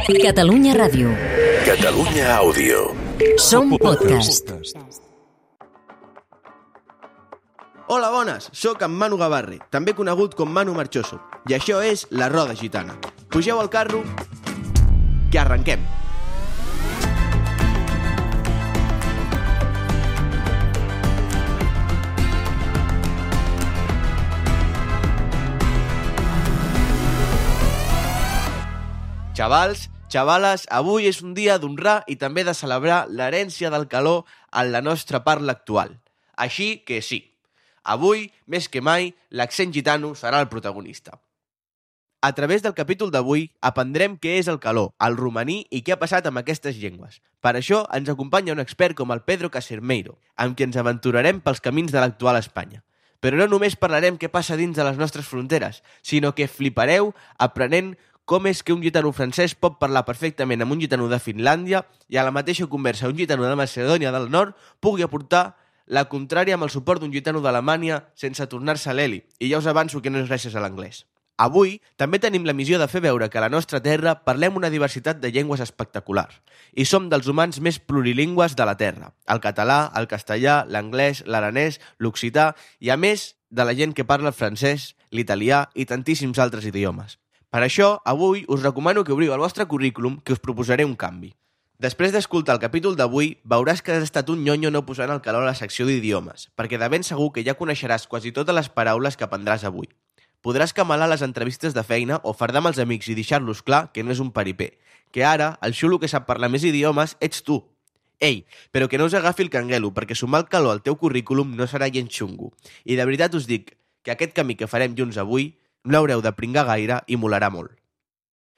Catalunya Ràdio. Catalunya Àudio. Som podcast. Hola, bones! Soc en Manu Gavarre, també conegut com Manu Marchoso, i això és La Roda Gitana. Pugeu al carro, que arrenquem! Xavals, xavales, avui és un dia d'honrar i també de celebrar l'herència del calor en la nostra parla actual. Així que sí, avui, més que mai, l'accent gitano serà el protagonista. A través del capítol d'avui aprendrem què és el caló, el romaní i què ha passat amb aquestes llengües. Per això ens acompanya un expert com el Pedro Casermeiro, amb qui ens aventurarem pels camins de l'actual Espanya. Però no només parlarem què passa dins de les nostres fronteres, sinó que flipareu aprenent com és que un gitano francès pot parlar perfectament amb un gitano de Finlàndia i a la mateixa conversa un gitano de Macedònia del Nord pugui aportar la contrària amb el suport d'un gitano d'Alemanya sense tornar-se l'heli, i ja us avanço que no és gràcies a l'anglès. Avui també tenim la missió de fer veure que a la nostra terra parlem una diversitat de llengües espectacular i som dels humans més plurilingües de la terra, el català, el castellà, l'anglès, l'aranès, l'occità i a més de la gent que parla el francès, l'italià i tantíssims altres idiomes. Per això, avui us recomano que obriu el vostre currículum, que us proposaré un canvi. Després d'escoltar el capítol d'avui, veuràs que has estat un nyonyo no posant el calor a la secció d'idiomes, perquè de ben segur que ja coneixeràs quasi totes les paraules que aprendràs avui. Podràs camalar les entrevistes de feina o fardar amb els amics i deixar-los clar que no és un paripé, que ara el xulo que sap parlar més idiomes ets tu. Ei, però que no us agafi el canguelo, perquè sumar el calor al teu currículum no serà gens xungo. I de veritat us dic que aquest camí que farem junts avui no haureu de pringar gaire i molarà molt.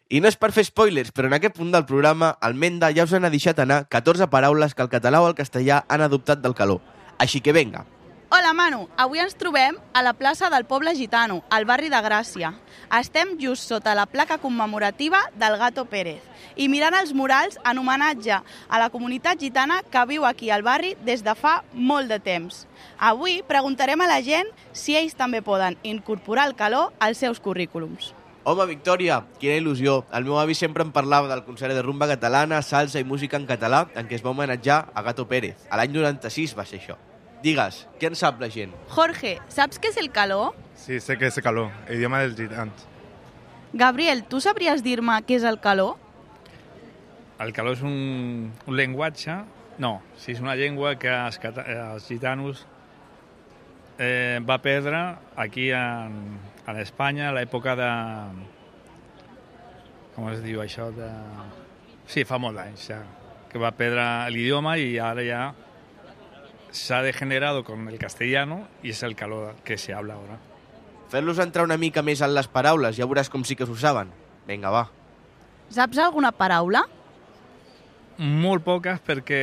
I no és per fer spoilers, però en aquest punt del programa el Menda ja us n'ha deixat anar 14 paraules que el català o el castellà han adoptat del caló. Així que venga! Hola Manu, avui ens trobem a la plaça del Poble Gitano, al barri de Gràcia. Estem just sota la placa commemorativa del Gato Pérez i mirant els murals en homenatge a la comunitat gitana que viu aquí al barri des de fa molt de temps. Avui preguntarem a la gent si ells també poden incorporar el calor als seus currículums. Home, Victòria, quina il·lusió! El meu avi sempre em parlava del concert de rumba catalana, salsa i música en català en què es va homenatjar a Gato Pérez. A l'any 96 va ser això. Digues, què en sap la gent? Jorge, saps què és el calor? Sí, sé que és el calor, idioma dels gitans. Gabriel, tu sabries dir-me què és el calor? El calor és un llenguatge... No, sí, és una llengua que els gitanos va perdre aquí a l'Espanya a l'època de... Com es diu això? Sí, fa molt d'anys ja, que va perdre l'idioma i ara ja s'ha degenerado con el castellano y es el calor que se habla ahora. Fer-los entrar una mica més en les paraules, ja veuràs com sí que s'ho saben. Vinga, va. Saps alguna paraula? Molt poques perquè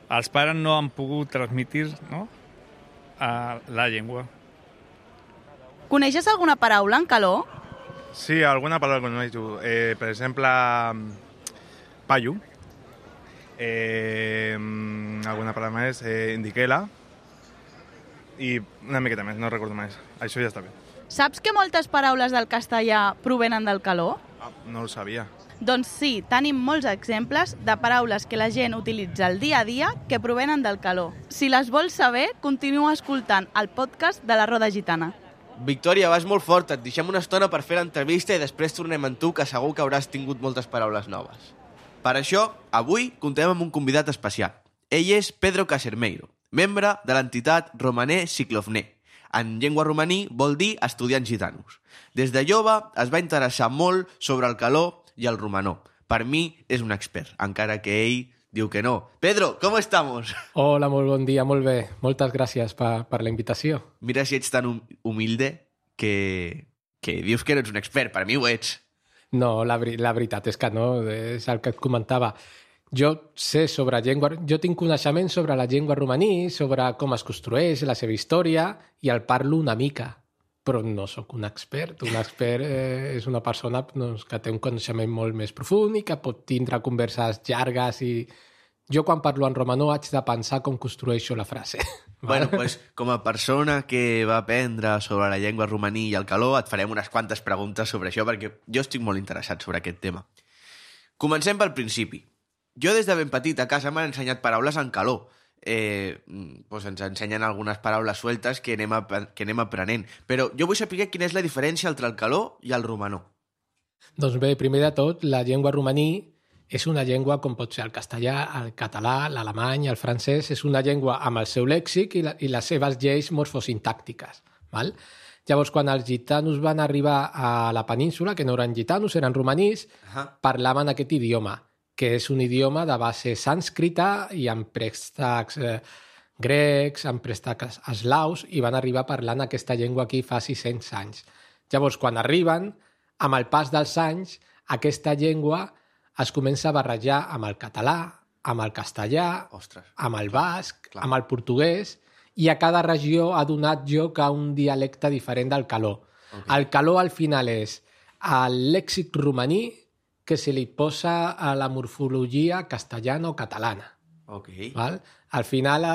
els pares no han pogut transmitir, no, a la llengua. Coneixes alguna paraula en calor? Sí, alguna paraula coneixo. Per exemple, paio. Alguna paraula més, indiquela i una miqueta més, no recordo més. Això ja està bé. Saps que moltes paraules del castellà provenen del calor? No ho sabia. Doncs sí, tenim molts exemples de paraules que la gent utilitza al dia a dia que provenen del calor. Si les vols saber, continua escoltant el podcast de La Roda Gitana. Victòria, vas molt fort, et deixem una estona per fer l'entrevista i després tornem amb tu, que segur que hauràs tingut moltes paraules noves. Per això, avui contem amb un convidat especial. Ell és Pedro Casermeiro, membre de l'entitat Romané Ciclofné. En llengua romaní vol dir estudiants gitanos. Des de jove es va interessar molt sobre el calor i el romanó. Per mi és un expert, encara que ell diu que no. Pedro, com estamos? Hola, molt bon dia, molt bé. Moltes gràcies per la invitació. Mira si ets tan humilde que dius que no ets un expert. Per mi ho ets. No, la veritat és que no, és el que et comentava. Jo sé sobre llengua... Jo tinc coneixement sobre la llengua romaní, sobre com es construeix, la seva història, i el parlo una mica, però no sóc un expert. Un expert és una persona que té un coneixement molt més profund i que pot tindre converses llargues i... Jo quan parlo en romanó haig de pensar com construeixo la frase. Bueno, pues, com a persona que va aprendre sobre la llengua romaní i el calor, et farem unes quantes preguntes sobre això, perquè jo estic molt interessat sobre aquest tema. Comencem pel principi. Jo des de ben petit a casa m'han ensenyat paraules en caló. Ens ensenyen algunes paraules sueltes que anem aprenent. Però jo vull saber quina és la diferència entre el caló i el romanó. Doncs bé, primer de tot, la llengua romaní és una llengua com pot ser el castellà, el català, l'alemany, el francès. És una llengua amb el seu lèxic i les seves lleis morfosintàctiques. Val? Llavors, quan els gitanos van arribar a la península, que no eren gitanos, eren romanís, parlaven aquest idioma, que és un idioma de base sànscrita i amb préstecs grecs, amb préstecs eslaus, i van arribar parlant aquesta llengua aquí fa 600 anys. Llavors, quan arriben, amb el pas dels anys, aquesta llengua es comença a barrejar amb el català, amb el castellà, amb el basc, amb el portuguès, i a cada regió ha donat lloc a un dialecte diferent del caló. El caló al final és el lèxic romaní que se li posa a la morfologia castellana o catalana. Val? Al final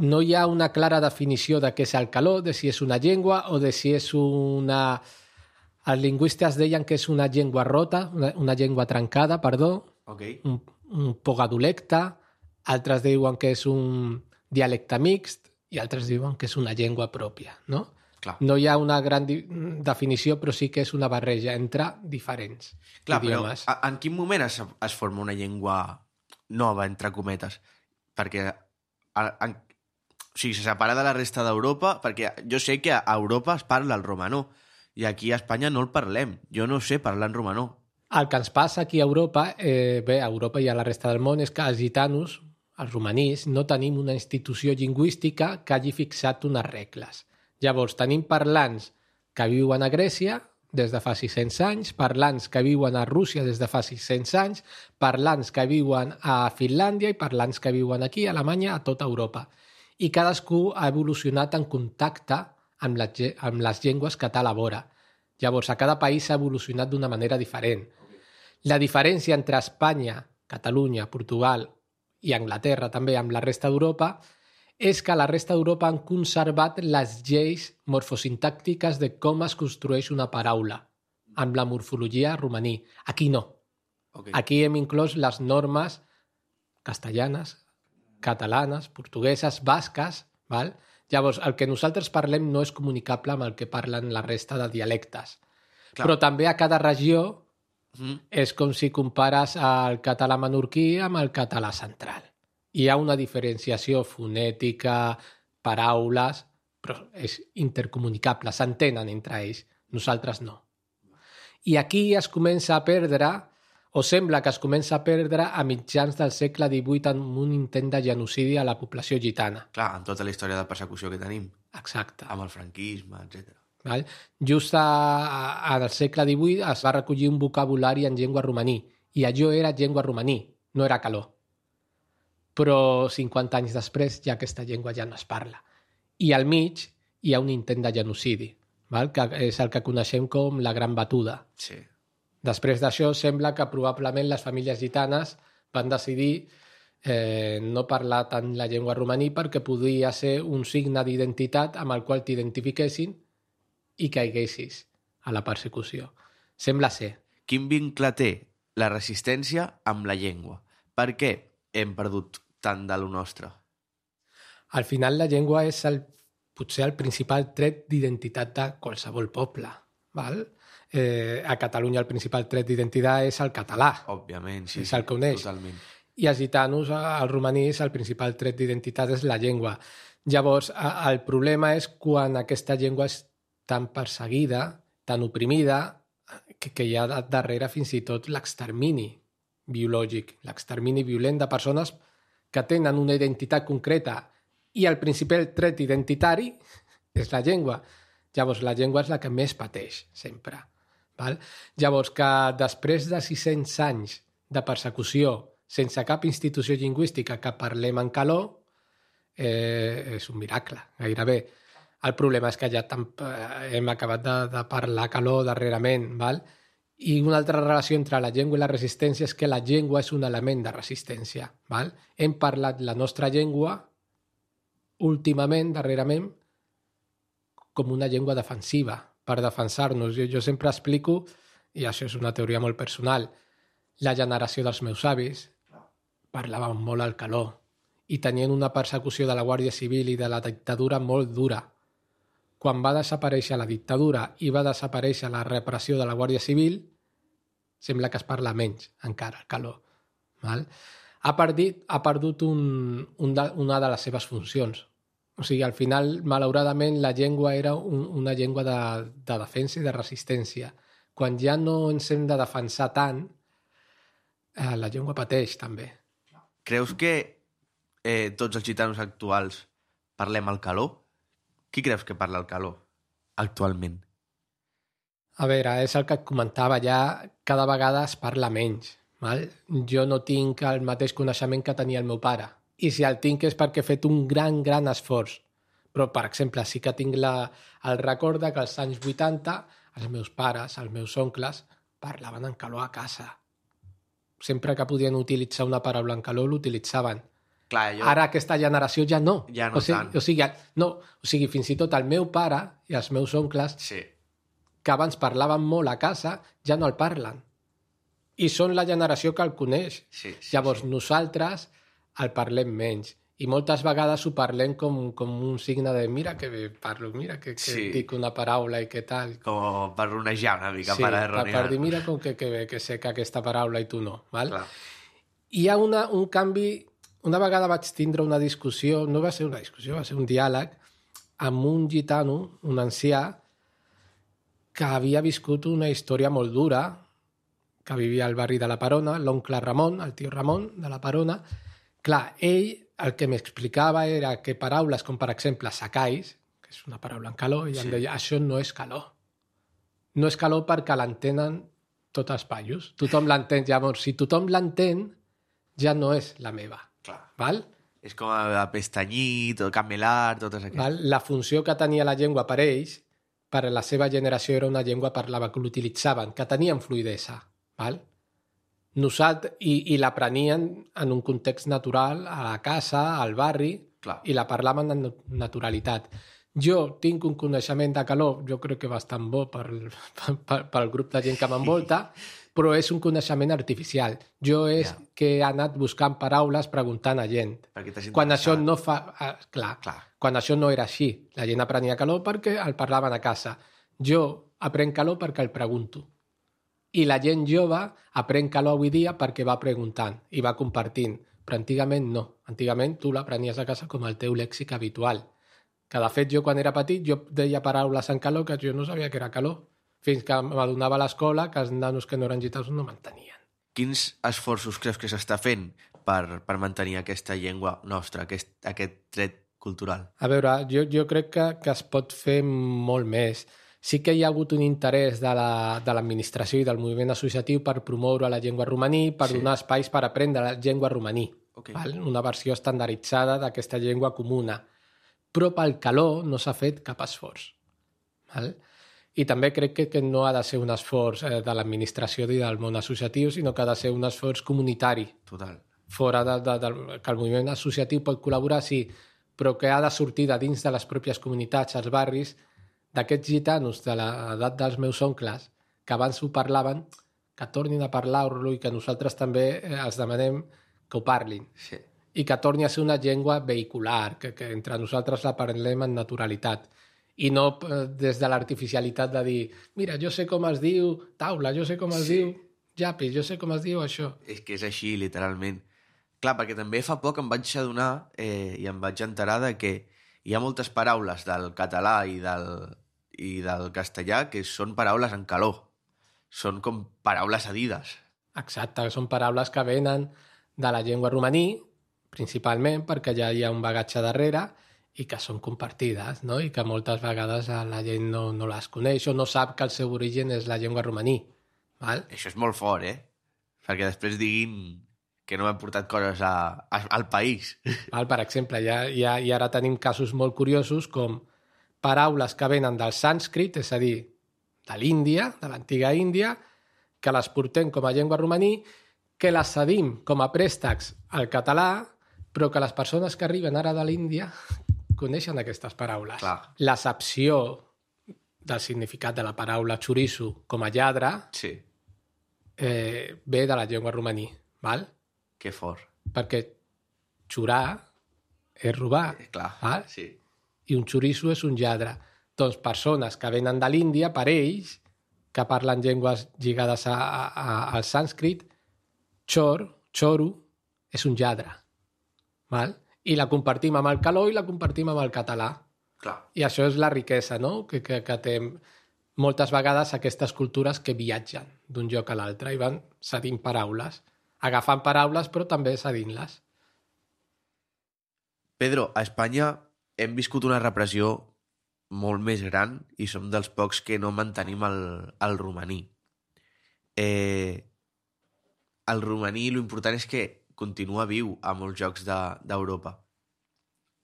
no hi ha una clara definició de què és el caló, de si és una llengua o de si és una... Els lingüistes deien que és una llengua rota, una llengua trencada, perdó, un pogadolecte, altres diuen que és un dialecte mixt i altres diuen que és una llengua pròpia, no? Clar. No hi ha una gran definició, però sí que és una barreja entre diferents idiomes. Però en quin moment es forma una llengua nova, entre cometes? Perquè se separa de la resta d'Europa, perquè jo sé que a Europa es parla el romanó i aquí a Espanya no el parlem. Jo no sé parlar en romanó. El que ens passa aquí a Europa, bé, a Europa i a la resta del món, és que els gitanos, els romanís, no tenim una institució lingüística que hagi fixat unes regles. Llavors, tenim parlants que viuen a Grècia des de fa 600 anys, parlants que viuen a Rússia des de fa 600 anys, parlants que viuen a Finlàndia i parlants que viuen aquí, a Alemanya, a tota Europa. I cadascú ha evolucionat en contacte amb les llengües que té a la vora. Llavors, a cada país s'ha evolucionat d'una manera diferent. La diferència entre Espanya, Catalunya, Portugal i Anglaterra, també amb la resta d'Europa, és que a la resta d'Europa han conservat les lleis morfosintàctiques de com es construeix una paraula, amb la morfologia romaní. Aquí no. Aquí hem inclòs les normes castellanes, catalanes, portugueses, basques, val? Llavors, el que nosaltres parlem no és comunicable amb el que parlen la resta de dialectes. Clar. Però també a cada regió és com si compares el català menorquí amb el català central. Hi ha una diferenciació fonètica, paraules, però és intercomunicable, s'entenen entre ells. Nosaltres no. I aquí es comença a perdre, o sembla que es comença a perdre a mitjans del segle XVIII en un intent de genocidi a la població gitana. Clar, en tota la història de persecució que tenim. Exacte. Amb el franquisme, etc. Just al segle XVIII es va recollir un vocabulari en llengua romaní, i allò era llengua romaní, no era caló. Però 50 anys després ja aquesta llengua ja no es parla. I al mig hi ha un intent de genocidi, que és el que coneixem com la Gran Batuda. Sí. Després d'això sembla que probablement les famílies gitanes van decidir no parlar tant la llengua romaní perquè podia ser un signe d'identitat amb el qual t'identifiquessin i caiguessis a la persecució. Sembla ser. Quin vincle té la resistència amb la llengua? Per què hem perdut tant de lo nostre? Al final la llengua és potser el principal tret d'identitat de qualsevol poble. Val? A Catalunya el principal tret d'identitat és el català. Òbviament, sí. És el que uneix. Totalment. I als gitanos, als romanís, el principal tret d'identitat és la llengua. Llavors, el problema és quan aquesta llengua és tan perseguida, tan oprimida, que hi ha darrere fins i tot l'extermini biològic, l'extermini violent de persones que tenen una identitat concreta i el principal tret identitari és la llengua. Llavors, la llengua és la que més pateix, sempre. Val? Llavors, que després de 600 anys de persecució sense cap institució lingüística que parlem en caló, és un miracle, gairebé. El problema és que ja hem acabat de parlar caló darrerament, val? I una altra relació entre la llengua i la resistència és que la llengua és un element de resistència. Val? Hem parlat la nostra llengua últimament, darrerament, com una llengua defensiva, per defensar-nos. Jo sempre explico, i això és una teoria molt personal, La generació dels meus avis parlaven molt al caló i tenien una persecució de la Guàrdia Civil i de la dictadura molt dura. Quan va desaparèixer la dictadura i va desaparèixer la repressió de la Guàrdia Civil, sembla que es parla menys encara, el caló. Val? Ha perdut una de les seves funcions. O sigui, al final, malauradament, la llengua era una llengua de defensa i de resistència. Quan ja no ens hem de defensar tant, la llengua pateix, també. Creus que tots els gitanos actuals parlem el caló? Qui creus que parla el caló actualment? A veure, és el que et comentava, ja cada vegada es parla menys. Val? Jo no tinc el mateix coneixement que tenia el meu pare. I si el tinc és perquè he fet un gran esforç. Però, per exemple, sí que tinc el record que als anys 80 els meus pares, els meus oncles, parlaven en caló a casa. Sempre que podien utilitzar una paraula en caló, l'utilitzaven. Clar, Ara aquesta generació ja no. Ja no tant. O sigui, fins i tot el meu pare i els meus oncles, sí, que abans parlaven molt a casa, ja no el parlen. I són la generació que el coneix. Sí, Llavors, nosaltres el parlem menys. I moltes vegades ho parlem com un signe de mira que bé parlo, mira que dic una paraula i què tal. Com per ronejar una mica, per erronear. Per dir, mira com que bé que sé que aquesta paraula i tu no. Val? Clar. Hi ha un canvi. Una vegada vaig tindre una discussió, no va ser una discussió, va ser un diàleg, amb un gitano, un ancià, que havia viscut una història molt dura, que vivia al barri de la Perona, l'oncle Ramon, el tio Ramon de la Perona. Clar, ell el que m'explicava era que paraules com, per exemple, sacais, que és una paraula en caló, i em deia, això no és caló. No és caló perquè l'entenen tots els paios. Tothom l'entén. Llavors, si tothom l'entén, ja no és la meva. Clar. Val? És com a pestanyit, o camelar, totes aquestes. Val? La funció que tenia la llengua per ells, per a la seva generació, era una llengua parlava, que l'utilitzaven, que tenien fluidesa. Val? Nosaltres, i l'aprenien en un context natural, a la casa, al barri, Clar. i la parlaven en naturalitat. Jo tinc un coneixement de caló, jo crec que bastant bo pel grup de gent que m'envolta, però és un coneixement artificial. Jo que he anat buscant paraules preguntant a gent. Quan això no fa... Clar, quan això no era així. La gent aprenia caló perquè el parlaven a casa. Jo aprenc caló perquè el pregunto. I la gent jove aprèn caló avui dia perquè va preguntant i va compartint. Però antigament no. Antigament tu l'aprenies a casa com el teu lèxic habitual. Que de fet jo quan era petit jo deia paraules en caló que jo no sabia que era caló. Fins que m'adonava a l'escola que els nanos que no eren gitanos no mantenien. Quins esforços creus que s'està fent per mantenir aquesta llengua nostra, aquest tret cultural? A veure, jo crec que es pot fer molt més. Sí que hi ha hagut un interès de l'administració i del moviment associatiu per promoure la llengua romaní, per donar espais per aprendre la llengua romaní. Okay. Val? Una versió estandarditzada d'aquesta llengua comuna. Però pel caló no s'ha fet cap esforç. Val? I també crec que no ha de ser un esforç de l'administració i del món associatiu, sinó que ha de ser un esforç comunitari. Total. Fora que el moviment associatiu pot col·laborar, sí, però que ha de sortir de dins de les pròpies comunitats, als barris, d'aquests gitanos de l'edat dels meus oncles, que abans ho parlaven, que tornin a parlar-lo i que nosaltres també els demanem que ho parlin. Sí. I que torni a ser una llengua vehicular, que entre nosaltres la parlem en naturalitat. I no des de l'artificialitat de dir mira, jo sé com es diu taula, jo sé com es diu llapis, jo sé com es diu això. És que és així, literalment. Clar, perquè també fa poc em vaig adonar i em vaig enterar de que hi ha moltes paraules del català i del castellà que són paraules en caló. Són com paraules cedides. Exacte, són paraules que venen de la llengua romaní, principalment perquè ja hi ha un bagatge darrere i que són compartides, no? I que moltes vegades la gent no les coneix o no sap que el seu origen és la llengua romaní. Val? Això és molt fort, Perquè després diguin que no hem portat coses al país. Val? Per exemple, i ara tenim casos molt curiosos com paraules que venen del sànscrit, és a dir, de l'Índia, de l'antiga Índia, que les portem com a llengua romaní, que les cedim com a préstecs al català, però que les persones que arriben ara de l'Índia coneixen aquestes paraules. Clar. L'accepció del significat de la paraula xoriço com a lladre sí. ve de la llengua romaní, val? Que fort. Perquè xurar és robar, Clar, val? sí. I un xoriço és un lladre. Doncs persones que venen de l'Índia, per ells, que parlen llengües lligades al sànscrit, xoro, és un lladre. Val? I la compartim amb el caló i la compartim amb el català. Clar. I això és la riquesa, no? Que té moltes vegades aquestes cultures que viatgen d'un lloc a l'altre i van cedint paraules, agafant paraules però també cedint-les. Pedro, a Espanya hem viscut una repressió molt més gran i som dels pocs que no mantenim el romaní. El romaní, l'important és que continua viu a molts jocs d'Europa.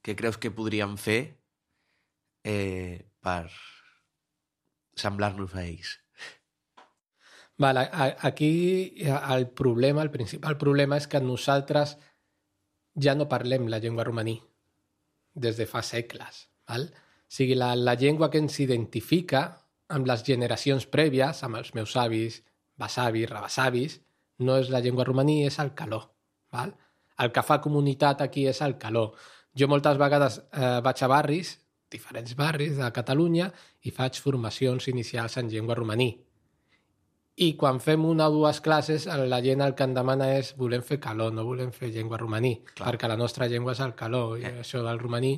Què creus que podríem fer per semblar-nos a ells? Vale, aquí el principal problema és que nosaltres ja no parlem la llengua romaní des de fa segles. Val? O sigui, la llengua que ens identifica amb les generacions prèvies, amb els meus avis, besavis, rebessavis, no és la llengua romaní, és el caló. Val? El que fa comunitat aquí és el caló. Jo moltes vegades vaig a barris, diferents barris de Catalunya, i faig formacions inicials en llengua romaní. I quan fem una o dues classes, la gent el que em demana és volem fer caló, no volem fer llengua romaní, clar, perquè la nostra llengua és el caló, i això del romaní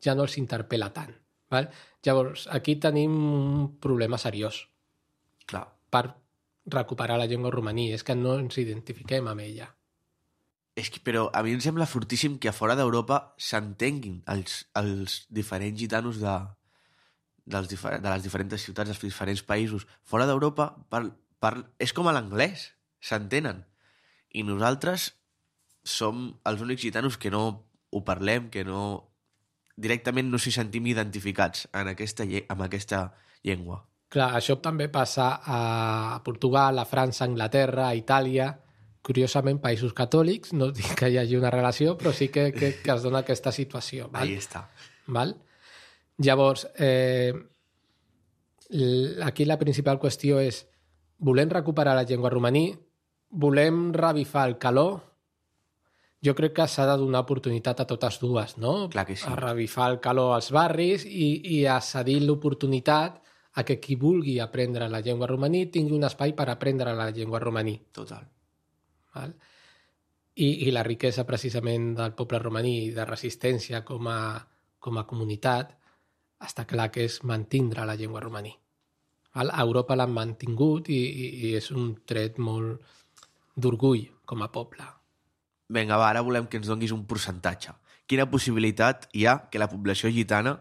ja no els interpel·la tant. Val? Llavors, aquí tenim un problema seriós. Clar. Per recuperar la llengua romaní, és que no ens identifiquem amb ella. És que, però a mi em sembla fortíssim que a fora d'Europa s'entenguin els diferents gitanos de les diferents ciutats, dels diferents països. Fora d'Europa és com a l'anglès, s'entenen. I nosaltres som els únics gitanos que no ho parlem, que no directament no s'hi sentim identificats amb aquesta llengua. Clar, això també passa a Portugal, a França, a Anglaterra, a Itàlia. Curiosament, països catòlics, no dic que hi hagi una relació, però sí que es dona aquesta situació. Val? Ahí està. Val? Llavors, aquí la principal qüestió és volem recuperar la llengua romaní, volem revifar el caló. Jo crec que s'ha de donar oportunitat a totes dues, no? Clar que sí. A revifar el caló als barris i a cedir l'oportunitat a que qui vulgui aprendre la llengua romaní tingui un espai per aprendre la llengua romaní. Total. Val? I la riquesa precisament del poble romaní de resistència com a comunitat està clar que és mantindre la llengua romaní. Val? A Europa l'han mantingut i és un tret molt d'orgull com a poble. Vinga, va, ara volem que ens donguis un percentatge. Quina possibilitat hi ha que la població gitana,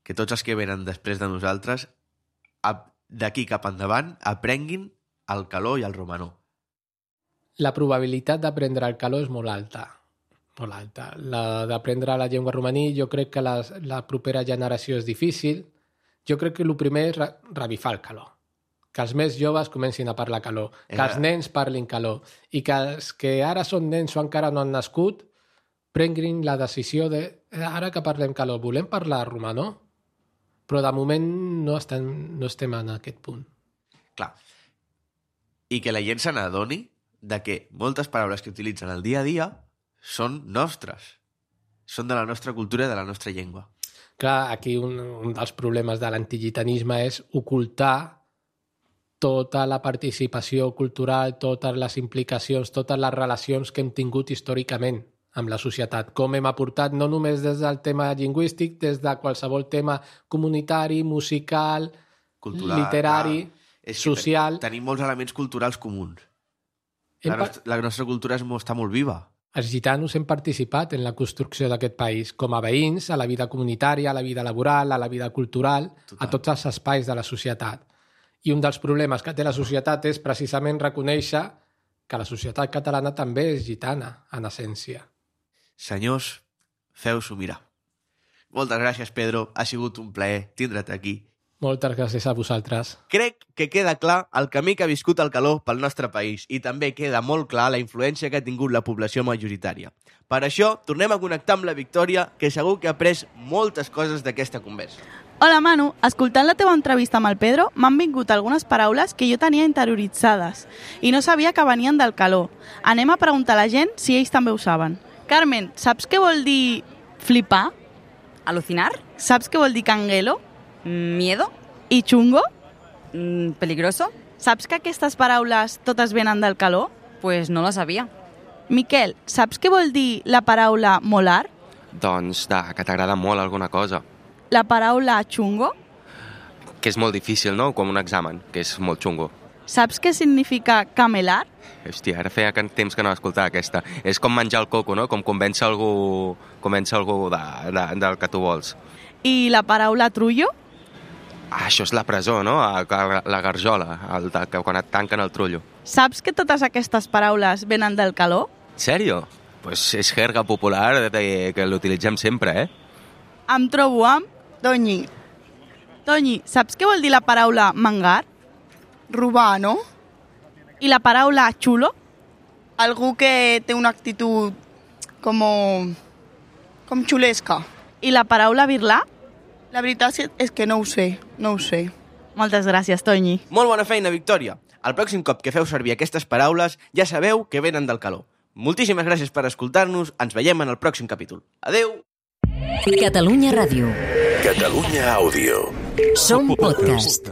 que tots els que venen després de nosaltres, d'aquí cap endavant, aprenguin el caló i el romanó? La probabilitat d'aprendre el caló és molt alta. Molt alta. D'aprendre la llengua romaní, jo crec que la propera generació és difícil. Jo crec que el primer és revifar el caló. Que els més joves comencin a parlar caló. Que els nens parlin caló. I que els que ara són nens o encara no han nascut prenguin la decisió de ara que parlem caló, volem parlar romanó? Però de moment no estem en aquest punt. Clar. I que la gent se n'adoni de que moltes paraules que utilitzen al dia a dia són nostres. Són de la nostra cultura i de la nostra llengua. Clar, aquí un dels problemes de l'antigitanisme és ocultar tota la participació cultural, totes les implicacions, totes les relacions que hem tingut històricament amb la societat. Com hem aportat no només des del tema lingüístic, des de qualsevol tema comunitari, musical, cultural, literari, social. Tenim molts elements culturals comuns. La nostra cultura està molt viva. Els gitanos hem participat en la construcció d'aquest país, com a veïns, a la vida comunitària, a la vida laboral, a la vida cultural, a tots els espais de la societat. I un dels problemes que té la societat és precisament reconèixer que la societat catalana també és gitana, en essència. Senyors, feu-s'ho mirar. Moltes gràcies, Pedro. Ha sigut un plaer tindre't aquí. Moltes gràcies a vosaltres. Crec que queda clar el camí que ha viscut el caló pel nostre país i també queda molt clar la influència que ha tingut la població majoritària. Per això, tornem a connectar amb la Victòria, que segur que ha après moltes coses d'aquesta conversa. Hola, Manu. Escoltant la teva entrevista amb el Pedro, m'han vingut algunes paraules que jo tenia interioritzades i no sabia que venien del calor. Anem a preguntar a la gent si ells també ho saben. Carmen, saps què vol dir flipar? ¿Alucinar? Saps què vol dir canguelo? ¿Miedo? I chungo? ¿Peligroso? Saps que aquestes paraules totes venen del calor? Pues no lo sabía. Miquel, saps què vol dir la paraula molar? Doncs que t'agrada molt alguna cosa. La paraula chungo? Que és molt difícil, no? Com un examen, que és molt xungo. Saps què significa camelar? Hòstia, ara feia temps que no escoltava aquesta. És com menjar el coco, no? Com convèncer algú del que tu vols. I la paraula trullo? Això és la presó, no? La garjola, quan et tanquen el trullo. Saps que totes aquestes paraules venen del calor? Sèrio? Pues és jerga popular que l'utilitzem sempre, eh? Em trobo amb Toñi. Toñi, saps què vol dir la paraula mangar? Robar, no? I la paraula xulo? Algú que té una actitud com xulesca. I la paraula birlar? La veritat és que no ho sé. Moltes gràcies, Toñi. Molt bona feina, Victòria. El pròxim cop que feu servir aquestes paraules ja sabeu que venen del calor. Moltíssimes gràcies per escoltar-nos. Ens veiem en el pròxim capítol. Adeu! Catalunya Ràdio. Catalunya Àudio. Som podcast.